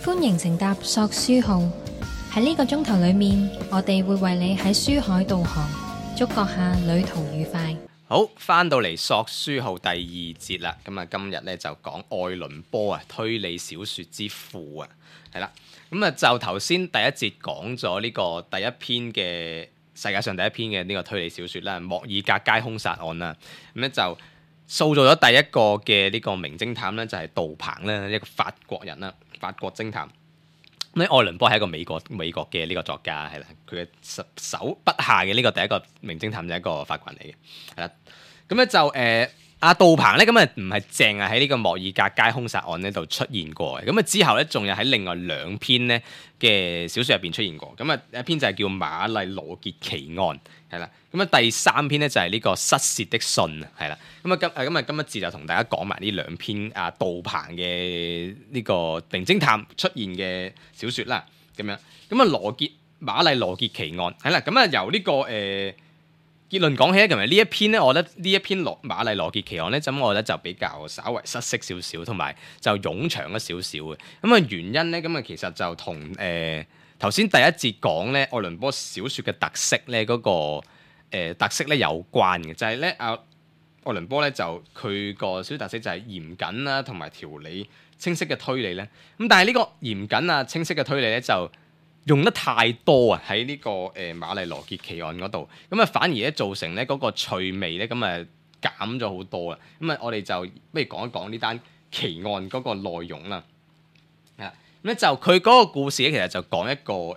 歡迎乘搭索書號，喺呢個鐘頭裏面，我哋會為你喺書海導航，祝閣下旅途愉快。好，翻到嚟索書號第二節啦，咁啊今日咧就講愛倫坡啊，推理小說之父啊，係啦，咁啊就頭先第一節講咗呢個第一篇嘅世界上第一篇嘅呢個推理小說啦，莫爾格街兇殺案啦，咁咧就塑造咗第一個嘅呢個名偵探咧，就係杜鵬啦，一個法國人啦，法國偵探。咁愛倫坡係一個美國嘅呢個作家，係啦，佢嘅手筆下嘅呢個第一個名偵探就係一個法國人嚟嘅，係啦。咁咧就阿杜鵬咧，咁啊唔係淨係喺呢個莫爾格街兇殺案呢度出現過嘅，咁啊之後咧仲有喺另外兩篇咧嘅小說入邊出現過，咁啊一篇就係叫瑪麗羅傑奇案，係啦，咁啊第三篇咧就係呢個失竊的信，係啦，咁啊今一節就同大家講埋呢兩篇杜鵬嘅呢個名偵探出現嘅小說啦，咁樣，咁啊瑪麗羅傑奇案，係啦，咁啊由呢個結論講起咧，其實呢一篇咧，我覺得呢一篇瑪麗羅傑奇案咧，咁我覺得就比較稍為失色少少，同埋就冗長咗少少嘅。咁啊原因咧，咁啊其實就同頭先第一節講咧愛倫坡小説嘅特色咧嗰個特色咧有關嘅，就係咧愛倫坡咧就佢個小說特色就係嚴謹啦，同埋條理清晰嘅推理咧。咁但係呢個嚴謹啊清晰嘅推理咧就用得太多啊！喺呢個瑪麗羅傑奇案嗰度，咁啊反而咧造成咧嗰個趣味咧，咁啊減咗好多啦。咁啊，我哋就不如講一講呢單奇案嗰個內容啦。啊，咁咧就佢嗰個故事咧，其實就講一個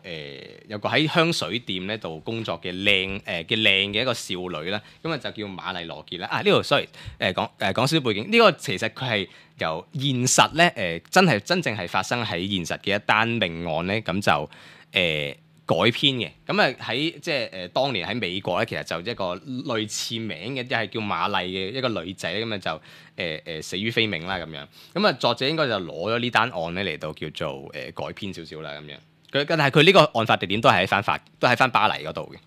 有個喺香水店咧度工作嘅靚嘅一個少女啦。咁啊就叫瑪麗羅傑啦。呢度 sorry 講少少背景。呢個其實佢係由現實咧真正係發生喺現實嘅一單命案咧，咁就改編嘅，咁啊喺即係當年喺美國咧，其實就一個類似名嘅，一係叫瑪麗嘅一個女仔咧，咁啊就死於非命啦咁樣。咁啊作者應該就攞咗呢單案咧嚟到叫做改編少少啦咁樣。但係佢呢個案發地點都係喺翻巴黎嗰度嘅。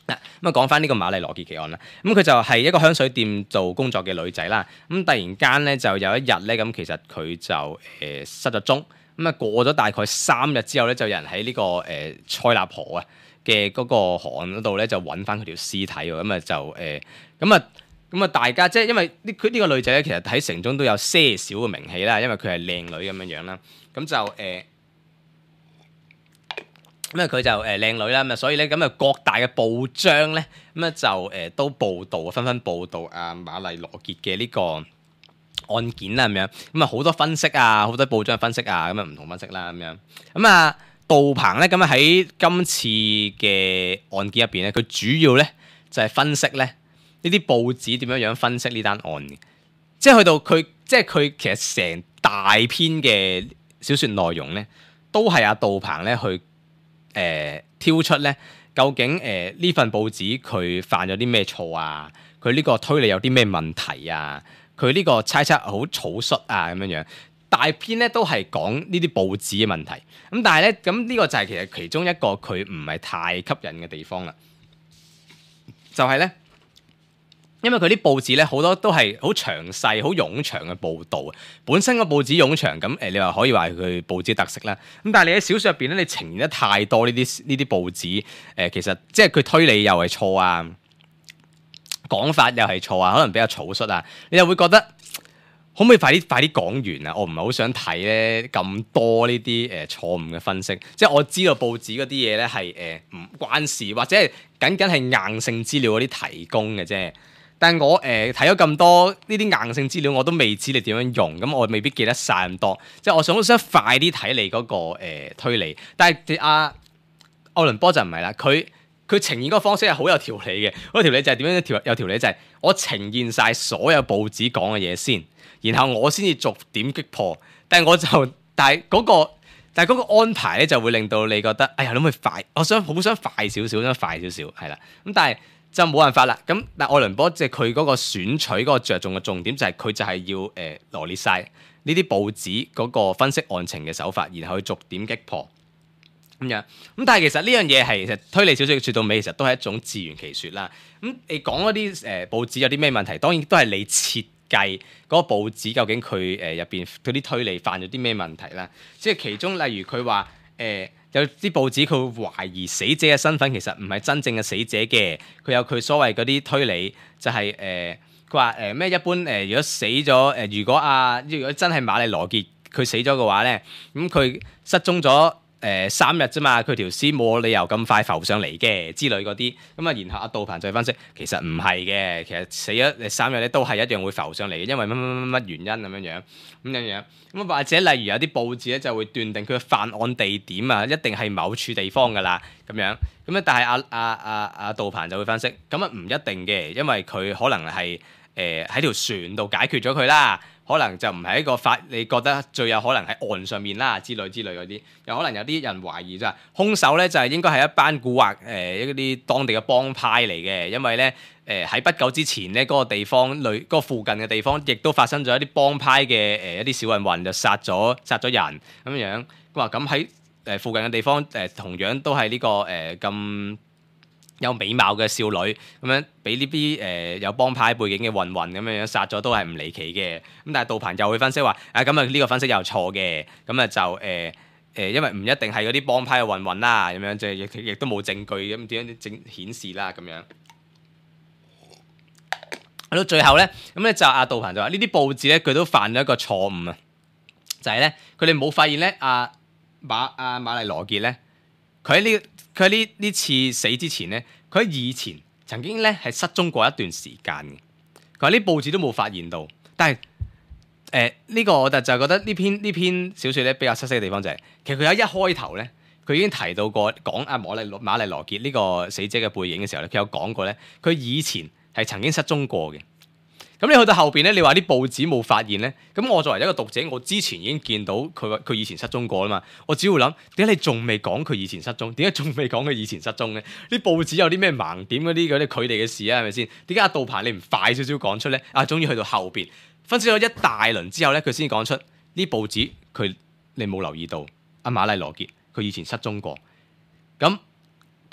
咁啊講翻呢個瑪麗羅傑奇案啦，咁佢就係一個香水店做工作嘅女仔啦。咁突然間咧就有一日咧，咁其實佢就失咗蹤。咁啊過咗大概3日之後咧，就有人喺呢個塞納河啊嘅嗰個河岸嗰度咧，就揾翻佢條屍體喎。咁啊就咁啊大家即係因為佢呢個女仔咧，其實喺城中都有些少嘅名氣啦，因為佢係靚女咁樣樣啦。咁就咁啊佢就靚女啦，咁啊所以咧咁啊各大嘅報章咧咁啊就都報導紛紛報導瑪麗羅傑嘅呢個案件啦咁樣，咁啊好多分析啊，好多報章分析啊，咁啊唔同分析啦咁樣。咁啊杜鵬咧咁啊喺今次嘅案件入邊咧，佢主要咧就係分析咧呢啲報紙點樣分析呢單案嘅，即係去到佢其實成大篇嘅小説內容咧，都係杜鵬咧去挑出咧究竟呢份報紙佢犯咗啲咩錯啊，佢呢個推理有啲咩問題啊。佢呢個猜測好草率啊咁樣樣，大篇咧都係講呢啲報紙嘅問題。咁但係咧，咁呢個就係其實其中一個佢唔係太吸引嘅地方啦。就係咧，因為佢啲報紙咧好多都係好詳細、好冗長嘅報導。本身個報紙冗長，咁你話可以話係佢報紙特色啦。咁但係你喺小説入邊咧，你呈現得太多呢啲報紙，其實即係佢推理又係錯啊。講法又係錯啊，可能比較草率啊，你又會覺得可唔可以快啲講完啊？我唔係好想睇咧咁多呢啲錯誤嘅分析，即係我知道報紙嗰啲嘢咧係唔關事，或者係僅係硬性資料嗰啲提供嘅啫。但係我睇咗咁多呢啲硬性資料，我都未知你點樣用，咁我未必記得晒咁多。即係我想快啲睇你嗰個推理，但係愛倫坡就唔係啦，佢呈現嗰個方式係好有條理嘅。嗰個條理就係點樣有條理就係我呈現晒所有報紙講嘅嘢先，然後我先至逐點擊破。但係嗰個安排咧就會令到你覺得，哎呀，你可唔可以快？我好想快少少，係啦。咁但係就冇辦法啦。咁但係愛倫坡即係佢嗰個選取嗰個着重嘅重點就係佢就係要羅列晒呢啲報紙嗰個分析案情嘅手法，然後去逐點擊破。咁樣，咁但係其實呢樣嘢係其實推理小說說到尾，其實都係一種自圓其說啦。咁你講嗰啲報紙有啲咩問題，當然都係你設計嗰個報紙究竟佢入邊嗰啲推理犯咗啲咩問題啦。即係其中例如佢話有啲報紙佢會懷疑死者嘅身份其實唔係真正嘅死者嘅，佢有佢所謂嗰啲推理就係佢話咩一般如果死咗如果真係瑪麗羅傑佢死咗嘅話咧，咁佢失蹤咗3日啫嘛，佢條屍冇理由咁快浮上嚟嘅之類嗰啲，咁啊然後阿杜鵬就分析其實唔係嘅，其實死咗3日咧都係一樣會浮上嚟嘅，因為乜原因咁樣，咁或者例如有啲報紙咧就會斷定佢嘅犯案地點啊一定係某處地方㗎啦咁樣，咁但係阿杜鵬就會分析，咁啊唔一定嘅，因為佢可能係喺條船度解決咗佢啦。可能就唔係一個你覺得最有可能喺岸上面啦之類嗰啲，又可能有啲人懷疑就係兇手咧就係應該係一班蠱惑一啲當地嘅幫派嚟嘅，因為咧喺不久之前咧嗰個地方嗰個附近嘅地方亦都發生咗一啲幫派嘅一啲小混混就殺咗人咁樣，話咁喺附近嘅地方同樣都係呢個咁有美貌嘅少女咁樣，俾呢啲有幫派背景嘅混混咁樣殺咗都係唔離奇嘅。咁但係杜鵬又會分析話，咁啊呢個分析又錯嘅。咁啊就因為唔一定係嗰啲幫派嘅混混啦，咁樣即係亦都冇證據咁點樣顯示啦咁樣。去到最後咧，咁咧就阿杜鵬就話呢啲報紙咧佢都犯咗一個錯誤啊，就係咧佢哋冇發現咧馬麗羅傑咧佢喺呢次死之前咧，佢喺以前曾經咧係失蹤過一段時間嘅。佢話呢報紙都冇發現到，但係呢個我就覺得呢篇小説咧比較失色嘅地方就係、是，其實佢喺一開頭咧，佢已經提到過講阿瑪麗羅傑呢個死者嘅背影嘅時候咧，佢有講過咧，佢以前係曾經失蹤過嘅。咁你去到後邊咧，你話啲報紙冇發現咧，咁我作為一個讀者，我之前已經見到佢以前失蹤過啦嘛，我只會諗點解你仲未講佢以前失蹤？點解仲未講佢以前失蹤咧？啲報紙有啲咩盲點嗰啲佢哋嘅事啊，係咪先？點解阿杜鵬你唔快少少講出咧？終於去到後邊分析咗一大輪之後咧，佢先講出呢報紙你冇留意到阿瑪麗羅傑佢以前失蹤過，咁。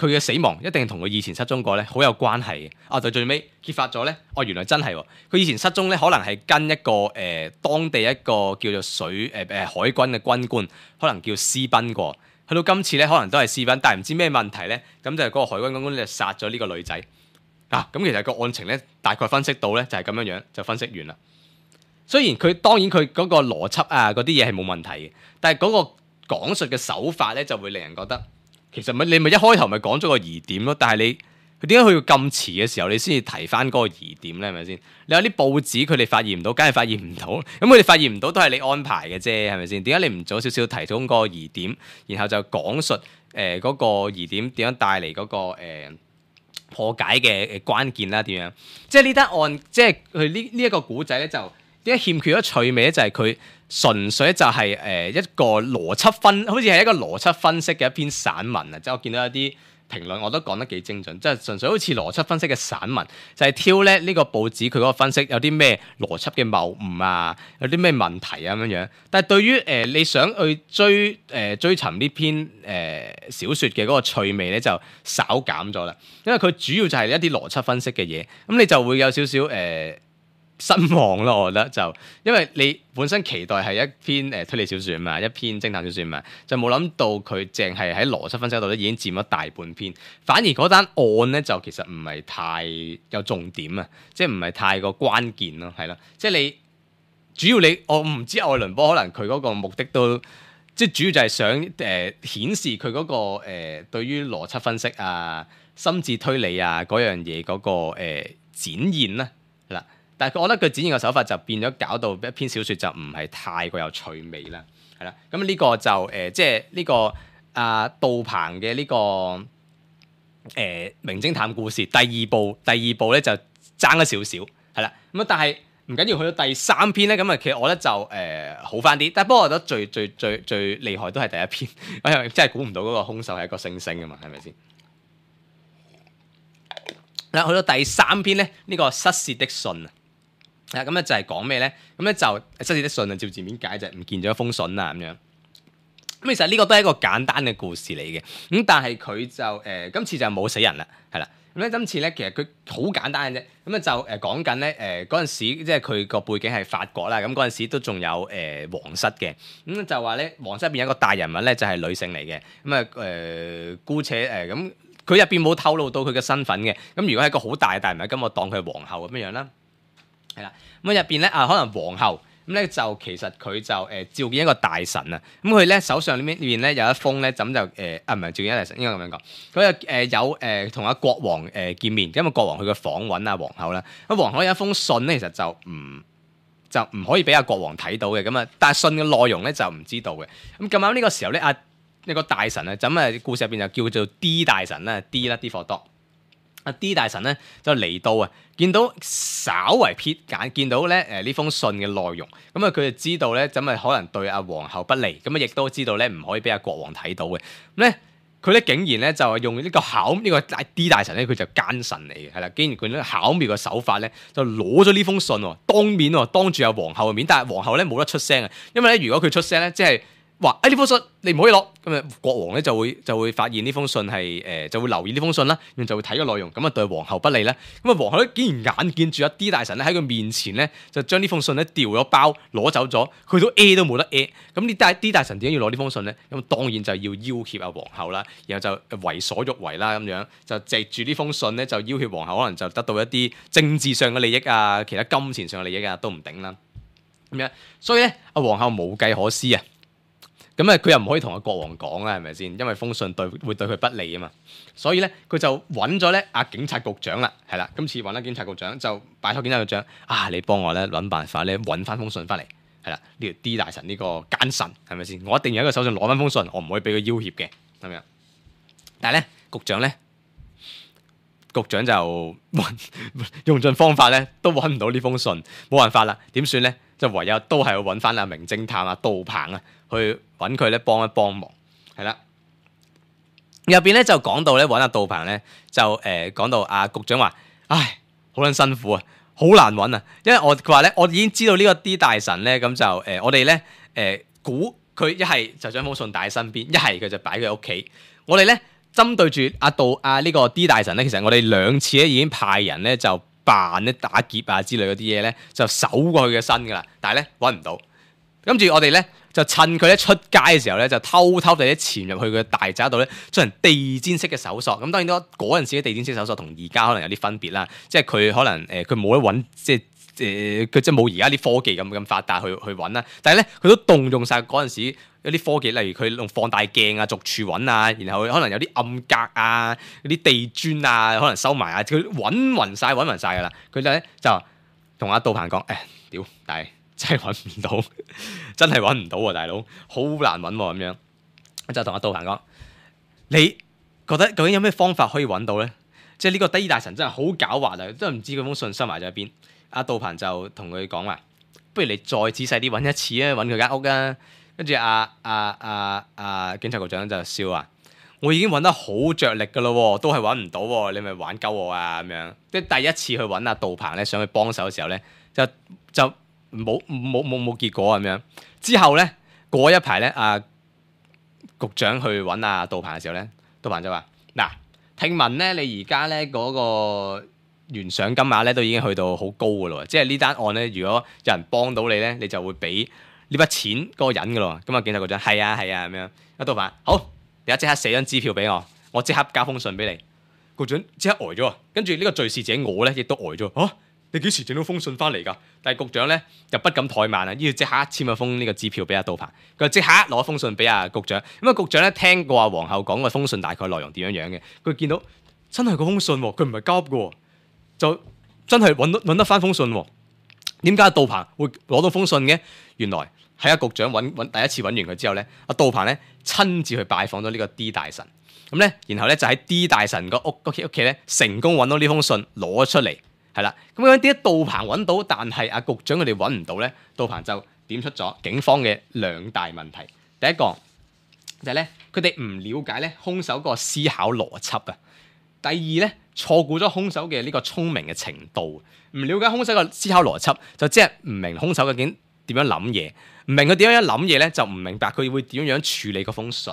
佢嘅死亡一定同佢以前失蹤過咧好有關係嘅。到最尾揭發咗咧，原來真係佢以前失蹤咧，可能係跟一個當地一個叫做海軍嘅軍官，可能叫私奔過。去到今次咧，可能都係私奔，但係唔知咩問題咧，咁就係嗰個海軍軍官就殺咗呢個女仔。咁其實個案情咧大概分析到咧就係咁樣樣就分析完啦。雖然當然佢嗰個邏輯嗰啲嘢係冇問題嘅，但係嗰個講述嘅手法咧就會令人覺得。其實你咪一開頭咪講咗個疑點咯，但係佢點解去到咁遲嘅時候，你先至提翻嗰個疑點咧？係咪先？你有啲報紙佢哋發現唔到，梗係發現唔到。咁佢哋發現唔到都係你安排嘅啫，係咪先？點解你唔早少少提供嗰個疑點，然後就講述嗰個疑點點樣帶嚟嗰個破解嘅關鍵啦？點樣？即係呢單案，即係佢呢一個古仔咧，就點解欠缺咗趣味咧？就係佢。純粹就係一個邏輯好似係一個邏輯分析嘅一篇散文啊！即係我見到一啲評論，我都講得幾精準，即係純粹好似邏輯分析嘅散文，就係挑咧呢個報紙佢嗰個分析有啲咩邏輯嘅謬誤啊，有啲咩問題啊咁樣。但係對於你想去追尋呢篇小説嘅嗰個趣味咧，就稍減咗啦，因為佢主要就係一啲邏輯分析嘅嘢，咁你就會有少少失望咯，我覺得就因為你本身期待係一篇推理小説嘛，一篇偵探小説嘛，就冇諗到佢淨係喺邏輯分析度咧已經佔咗大半篇，反而嗰單案咧就其實唔係太有重點啊，即係唔係太過關鍵咯，係咯，即係你主要我唔知愛倫坡可能佢嗰個目的都即係主要就係想顯示佢嗰個對於邏輯分析啊、心智推理啊嗰樣嘢嗰個展現啦，係啦。但係我覺得佢展現嘅手法就變咗，搞到一篇小説就唔係太過有趣味啦，係啦。咁呢個就即係呢個杜鵬嘅呢個名偵探故事第二部咧就爭咗少少，係啦。咁但係唔緊要，去到第3篇咧，咁其實我覺得就好翻啲。但係不過我覺得最厲害都係第一篇，我又真係估唔到嗰個兇手係一個猩猩啊嘛，係咪先？嗱，去到第3篇咧，呢個失竊的信啊。咁咧就係講咩咧？咁咧就失竊的信啊，照字面解就係唔見咗一封信啊咁樣。咁其實呢個都係一個簡單嘅故事嚟嘅。咁但係佢就今次就冇死人啦，係啦。咁咧今次咧其實佢好簡單嘅啫，咁咧就講緊咧嗰陣時，即係佢個背景係法國啦，咁嗰陣時都仲有皇室嘅，咁就話咧皇室入邊有一個大人物咧就係女性嚟嘅，咁啊姑且咁佢入邊冇透露到佢嘅身份嘅，咁如果係一個好大嘅大人物，咁我當佢係皇后咁樣樣啦，係啦，咁入邊咧可能皇后。咁咧就其實佢就召見一個大臣啊，咁佢咧手上呢邊咧有一封咧，咁就唔係召見一個大臣，應該咁樣講。佢有同阿國王見面，因為國王去嘅訪問阿皇后啦。咁皇后有一封信咧，其實就唔可以俾阿國王睇到嘅，咁啊，但係信嘅內容咧就唔知道嘅。咁咁啱呢個時候咧，一個大臣啊，咁故事入邊就叫做 D 大臣啦 ，D 啦 D for dog。阿 D 大臣咧就嚟到啊，見到稍為瞥眼，見到咧呢封信嘅內容，咁啊佢就知道咧，咁啊可能對阿皇后不利，咁啊亦都知道咧唔可以俾阿國王睇到嘅。咁咧佢咧竟然咧就用呢個D 大臣咧，佢就奸臣嚟嘅，係啦，竟然佢咧巧妙嘅手法咧，就攞咗呢封信喎，當住阿皇后嘅面，但係皇后咧冇得出聲啊，因為咧如果佢出聲咧，即係話呢封信你唔可以攞，咁啊國王咧就會發現呢封信係就會留意呢封信啦，然後就會睇個內容，咁啊對皇后不利啦。咁啊皇后咧竟然眼見住阿 D 大臣咧喺佢面前咧就將呢封信咧掉咗包攞走咗，佢都都冇得咁呢 D 大臣點解要攞呢封信咧？咁當然就要要挾阿皇后啦，然後就為所欲為啦咁樣，就藉住呢封信咧就要挾皇后，可能就得到一啲政治上嘅利益啊，其他金錢上嘅利益啊都唔定啦。咁樣所以咧阿皇后無計可施啊。咁佢又唔可以同阿國王講啦，係咪先？因為封信會對佢不利啊嘛。所以咧，佢就揾咗咧阿警察局長啦，係啦。今次揾咗警察局長，就拜託警察局長你幫我咧揾辦法咧揾翻封信翻嚟，係啦。呢條 D 大臣呢個奸臣係咪先？我一定要喺佢手上攞翻封信，我唔可以俾佢要挾嘅，咁樣。但係咧，局長就用盡方法咧，都揾唔到呢封信，冇辦法啦。點算咧？就唯有都係要揾翻阿名偵探阿杜鵬啊，去揾佢咧幫一幫忙，係啦。入邊咧就講到咧揾阿杜鵬咧，就講到阿局長話：唉，好撚辛苦啊，好難揾啊，因為佢話咧，我已經知道呢個 D 大臣咧，咁就我哋咧估佢一係就將封信帶喺身邊，一係佢就擺佢屋企。我哋咧針對住呢個 D 大臣咧，其實我哋2次咧已經派人咧就扮咧打劫啊之類嗰啲嘢咧，就搜過佢嘅身噶啦，但係咧揾唔到。跟住我哋咧就趁佢咧出街嘅時候咧，就偷地咧潛入去佢嘅大宅度咧，進行地毯式嘅搜索。咁當然嗰陣時嘅地毯式搜索同而家可能有啲分別啦，即係佢可能佢冇得揾，即係佢即係冇而家啲科技咁發達去揾啦。但係咧佢都動用晒嗰陣時有啲科技，例如佢用放大鏡啊、逐處揾啊，然後可能有啲暗格啊、嗰啲地磚啊，可能收埋啊，佢揾勻晒㗎啦。佢就同阿杜鵬講：屌，但係真係揾唔到，真係揾唔到喎，大佬，好難揾喎咁樣。就同阿杜鵬講：你覺得究竟有咩方法可以揾到咧？即係呢個 D 大臣真係好狡猾啊，真係唔知佢封信收埋咗喺邊。阿杜鵬就同佢講話：不如你再仔細啲揾一次啊，揾佢間屋啊。跟住警察局長就笑話：我已經揾得好着力噶咯，都係揾唔到喎，你咪玩鳩我啊咁樣。即係第一次去揾阿杜鵬咧，想去幫手嘅時候咧，就冇結果咁樣。之後咧過一排咧，局長去揾阿杜鵬嘅時候咧，杜鵬就話：嗱，聽聞咧你而家咧嗰個懸賞金額咧都已經去到好高噶咯，即係呢單案咧，如果有人幫到你咧，你就會俾呢筆錢嗰個人噶咯。咁啊，警察局長係啊咁樣。阿杜鵬，好，你即刻寫張支票俾我即刻交封信俾你。局長即刻呆咗，跟住呢個敘事者我咧亦都呆咗。你幾時整到封信翻嚟㗎？但係局長咧又不敢怠慢啊，要即刻簽咗封呢個支票俾阿杜鵬。佢即刻攞封信俾阿局長。咁局長咧聽過阿皇后講個封信大概內容點樣嘅，佢見到真係個封信喎，佢唔係交嘅，就真係揾得翻封信喎。點解杜鵬會攞到封信嘅？原來喺阿局長第一次揾完佢之後咧，阿杜鵬咧親自去拜訪咗呢個 D 大臣。咁咧，然後咧就喺 D 大臣個屋企咧成功揾到呢封信攞出嚟。係啦，咁樣點解杜鵬揾到，但係阿局長佢哋揾唔到咧？杜鵬就點出咗警方嘅2大問題。第一個就係咧，佢哋唔了解咧兇手個思考邏輯啊。第二咧，錯估咗兇手嘅呢個聰明嘅程度。唔了解兇手個思考邏輯，就即係唔明兇手究竟點樣諗嘢，唔明佢點樣諗嘢咧，就唔明白佢會點樣處理嗰封信。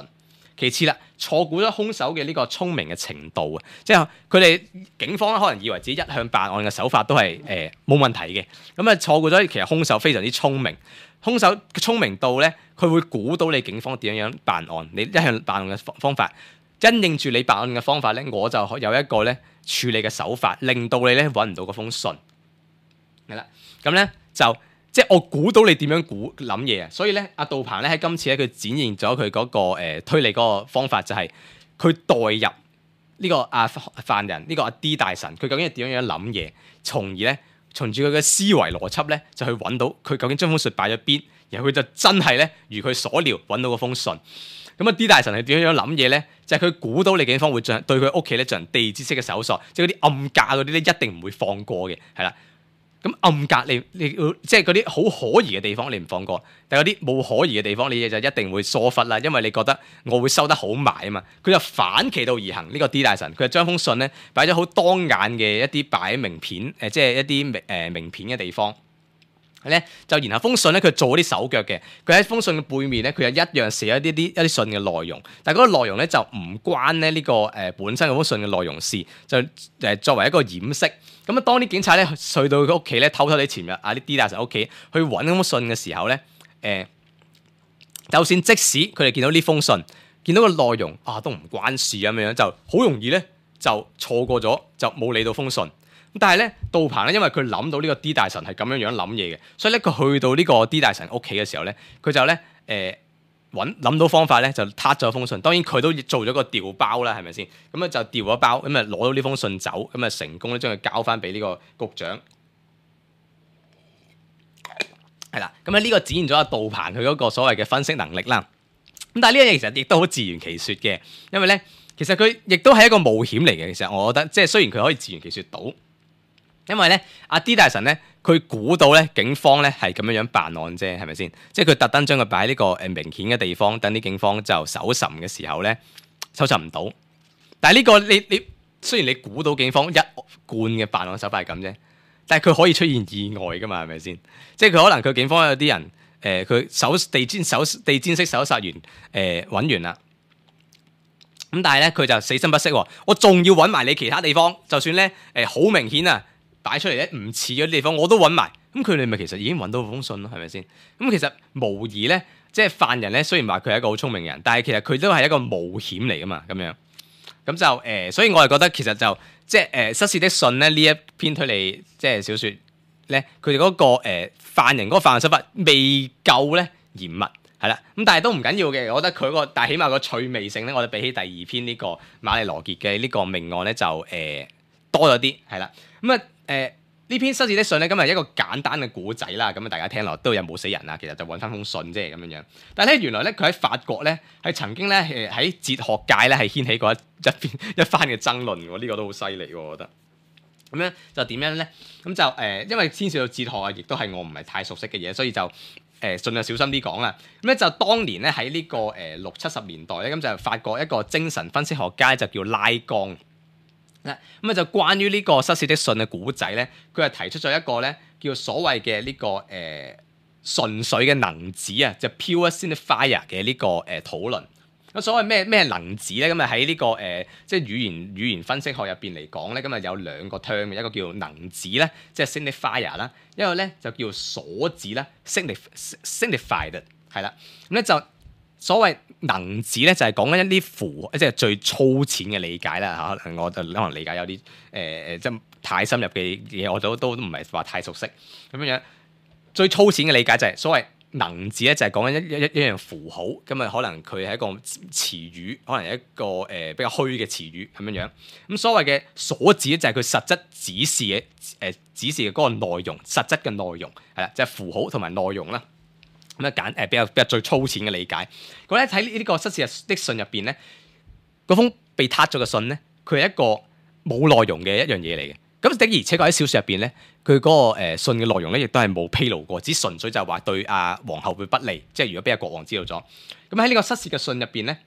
其次啦，錯估咗兇手嘅呢個聰明嘅程度啊，即係佢哋警方咧可能以為自己一向辦案嘅手法都係冇問題嘅，咁啊錯估咗其實兇手非常之聰明，兇手嘅聰明度咧，佢會估到你警方點樣辦案，你一向辦案嘅方法，因應住你辦案嘅方法咧，我就有一個咧處理嘅手法，令到你咧揾唔到嗰封信，係啦，咁咧就。即係我估到你點樣諗嘢啊，所以咧阿杜鵬咧喺今次咧佢展現咗佢嗰個推理嗰個方法，就係佢代入呢個犯人呢個阿 D 大神，佢究竟係點樣諗嘢，從而咧從住佢嘅思維邏輯咧就去揾到佢究竟將封信擺咗邊，然後佢就真係咧如佢所料揾到嗰封信。咁啊 D 大神係點樣諗嘢咧？就係佢估到你警方會對佢屋企咧進行地毯式嘅搜索，即係嗰啲暗格嗰啲咧一定唔會放過嘅，係啦。咁暗格你即係嗰啲好可疑嘅地方你唔放過，但係嗰啲冇可疑嘅地方你就一定會疏忽啦，因為你覺得我會收得好埋啊嘛。佢就反其道而行，呢個 D 大神佢就將封信咧擺咗好當眼嘅一啲擺名片即係一啲名片嘅地方咧，就然後封信咧佢做啲手腳嘅，佢喺封信嘅背面咧佢又一樣寫一啲信嘅內容，但係嗰個內容咧就唔關咧呢個本身嗰封信嘅內容事，就作為一個掩飾。咁啊，當啲警察咧去到佢屋企咧，偷偷地潛入啲 D 大神屋企去揾嗰封信嘅時候咧，就算即使佢哋見到呢封信，見到個內容都唔關事咁樣，就好容易咧就錯過咗，就冇理到封信。咁但係咧，杜鵬咧，因為佢諗到呢個 D 大神係咁樣諗嘢嘅，所以咧佢去到呢個 D 大神屋企嘅時候咧，佢就咧諗到方法咧，就撻咗封信。當然佢都做咗個調包啦，係咪先？咁啊就調咗包，咁啊攞到呢封信走，咁啊成功咧將佢交翻俾呢個局長。係啦，咁啊呢個展現咗阿杜鵬佢嗰個所謂嘅分析能力啦。咁但係呢樣嘢其實亦都好自圓其説嘅，因為咧其實佢亦都係一個冒險嚟嘅。其實我覺得即係雖然佢可以自圓其説到，因為咧阿 D 大神咧。佢估到咧，警方咧係咁樣辦案啫，係咪先？即係佢特登將佢擺喺呢個明顯嘅地方，等啲警方就搜尋嘅時候咧，搜尋唔到。但係呢個你雖然你估到警方一貫嘅辦案手法係咁啫，但係佢可以出現意外噶嘛，係咪先？即係佢可能佢警方有啲人佢地毯式搜殺完揾完啦，咁但係咧佢就死心不息喎，我仲要揾埋你其他地方，就算咧好明顯啊！擺出嚟咧唔似嗰啲地方，我都揾埋，咁佢哋咪其實已經揾到封信咯，係咪先？咁其實無疑咧，即係犯人咧，雖然話佢係一個好聰明嘅人，但係其實佢都係一個冒險嚟噶嘛，咁樣，咁就所以我係覺得其實就即係失竊的信咧呢一篇推理即係小説咧，佢哋嗰個犯人嗰個犯案手法未夠咧嚴密，係啦，咁但係都唔緊要嘅，我覺得佢但係起碼個趣味性咧，我哋比起第二篇呢個瑪麗羅傑嘅呢個命案咧就多咗啲，係啦，咁啊。呢篇失竊的信咧，今日一個簡單嘅古仔啦，咁啊大家聽落都有冇死人啊，其實就揾翻封信啫咁樣。但係咧原來咧佢喺法國咧係曾經咧喺哲學界咧係掀起過一番嘅爭論喎，呢個都好犀利喎，我覺得。咁樣就點樣咧？咁就因為牽涉到哲學啊，亦都係我唔係太熟悉嘅嘢，所以就盡量小心啲講啦。咁咧就當年咧喺呢個60-70年代咧，咁就法國一個精神分析學家就叫拉岡。咁啊就關於呢個失竊的信嘅古仔咧，佢係提出咗一個咧叫所謂嘅呢個純粹嘅能子啊，就 pure signifier 嘅呢個討論。咁所謂咩能子咧？咁啊喺呢個即係語言分析學入邊嚟講咧，咁啊有兩個 term 嘅，一個叫能子咧，即係 signifier 啦，一個咧就叫鎖子啦 signified 係啦，咁咧就。所謂能子咧，就係講緊一啲符，即係最粗淺嘅理解啦嚇。我就可能理解有啲即係太深入嘅嘢，我都唔係話太熟悉咁樣。最粗淺嘅理解就係所謂能字咧，就係講緊一樣符號，咁啊可能佢係一個詞語，可能係一個比較虛嘅詞語咁樣樣。咁所謂嘅所指咧，就係佢實質指示嘅嗰個內容，實質嘅內容係啦，就係符號同埋內容啦。咁啊比較最粗淺嘅理解。咁咧喺呢個失竊的信入邊咧，嗰封被撻咗嘅信咧，佢係一個冇內容嘅一樣嘢嚟嘅。咁的而且確喺小説入邊咧，佢嗰個信嘅內容咧，亦都係冇披露過，只純粹就係話對阿皇后會不利，即係如果俾阿國王知道咗。咁喺呢個失竊嘅信入邊咧，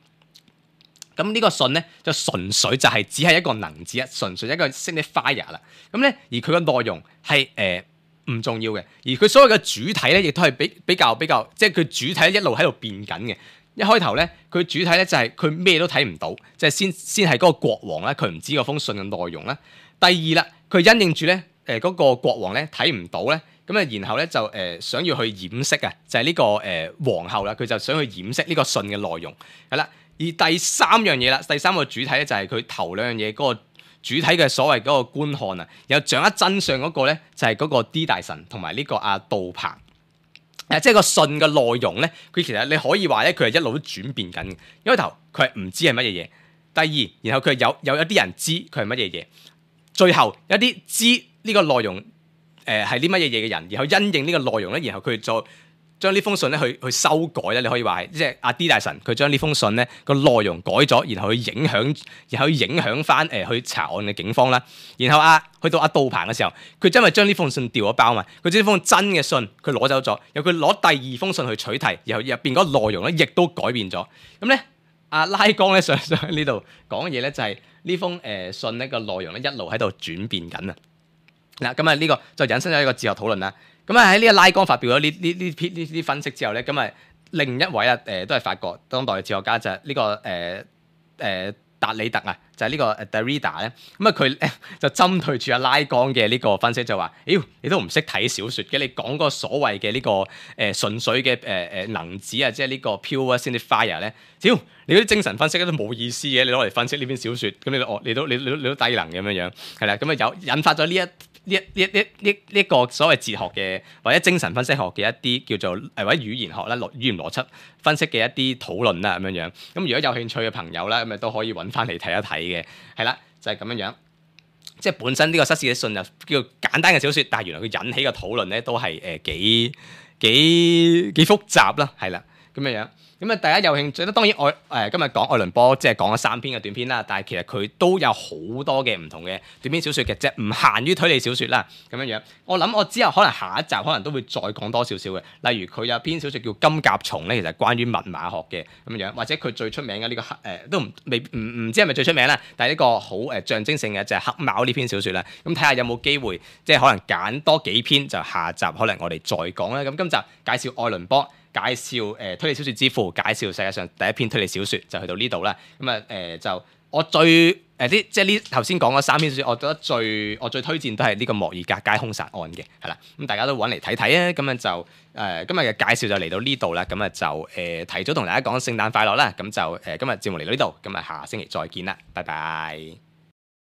咁呢個信咧就純粹就係只係一個能字，純粹一個 signifier 啦。咁咧而佢嘅內容係唔重要嘅，而佢所謂嘅主體咧，亦都係比較，即係佢主體一路喺度變緊嘅。一開頭咧，佢主體咧就係佢咩都睇唔到，即係先係嗰個國王咧，佢唔知嗰封信嘅內容啦。第二啦，佢因應住咧嗰個國王咧睇唔到咧，咁啊然後咧就想要去掩飾啊，就係呢個皇后啦，佢就想去掩飾呢個信嘅內容係啦。而第三樣嘢啦，第三個主體咧就係佢頭兩樣嘢嗰個主體嘅所謂嗰個觀看啊，然後掌握真相嗰個咧就係嗰個 D 大神同埋呢個阿杜鵬。即係個信嘅內容咧，佢其實你可以話咧，佢係一路都轉變緊嘅。一開頭佢係唔知係乜嘢嘢，第二，然後佢有一啲人知佢係乜嘢嘢，最後有一啲知呢個內容係啲乜嘢嘢嘅人，然後因應呢個內容咧，然後佢再將呢封信咧去修改咧，你可以話係即係阿 D 大神佢將呢封信咧個內容改咗，然後去影響翻去查案嘅警方啦。然後去到阿杜鵬嘅時候，佢真係將呢封信掉咗包嘛，佢將呢封真嘅信佢攞走咗，然後佢攞第二封信去取替，然後入邊嗰個內容咧亦都改變咗。咁咧阿拉江咧上呢度講嘅嘢咧就係呢封信呢個內容咧一路喺度轉變緊啊。嗱咁啊呢個就引申咗一個哲學討論啦。咁喺呢個拉江發表咗呢啲分析之後咧，咁另一位都係法國當代嘅哲學家就係呢個達里特啊，就係呢個Derrida咧。咁佢就針對住阿拉江嘅呢個分析就話：妖你都唔識睇小説嘅，你講嗰個所謂嘅呢個純粹嘅能子啊，即係呢個 pure signifier 咧，屌你嗰啲精神分析都冇意思嘅，你攞嚟分析呢篇小説，咁你都低能咁樣樣，係啦，咁有引發咗呢一個所謂哲學嘅或者精神分析學嘅一啲叫做或者語言學啦、語言邏輯分析嘅一啲討論啦咁樣樣。咁如果有興趣嘅朋友咧，咁都可以揾翻嚟睇一睇嘅，係啦，就係咁樣樣。即係本身呢個失事嘅信就叫簡單嘅小説，但係原來佢引起嘅討論咧都係幾複雜啦，係啦，咁樣樣。咁大家有興趣咧，當然今日講愛倫坡，即係講咗3篇嘅短篇啦。但係其實佢都有好多嘅唔同嘅短篇小説嘅啫，唔限於推理小説啦。咁樣樣，我諗我之後可能下一集可能都會再講多少少嘅。例如佢有篇小説叫《金甲蟲》咧，其實關於密碼學嘅咁樣，或者佢最出名嘅呢個都唔知係咪最出名啦。但係呢個好象徵性嘅就係黑貓呢篇小説啦。咁睇下有冇機會，即係可能揀多幾篇，就下集可能我哋再講啦。咁今集介紹愛倫坡。介紹推理小説之父，介紹世界上第一篇推理小説就去到呢度啦。咁就我最即係呢頭先講嗰3篇小説，我覺得我最推薦都係呢個莫爾格街兇殺案嘅，係啦。咁大家都揾嚟睇睇啊。咁就今日嘅介紹就嚟到呢度啦。咁就提早同大家講聖誕快樂啦。咁就今日節目嚟到呢度，咁下星期再見啦，拜拜。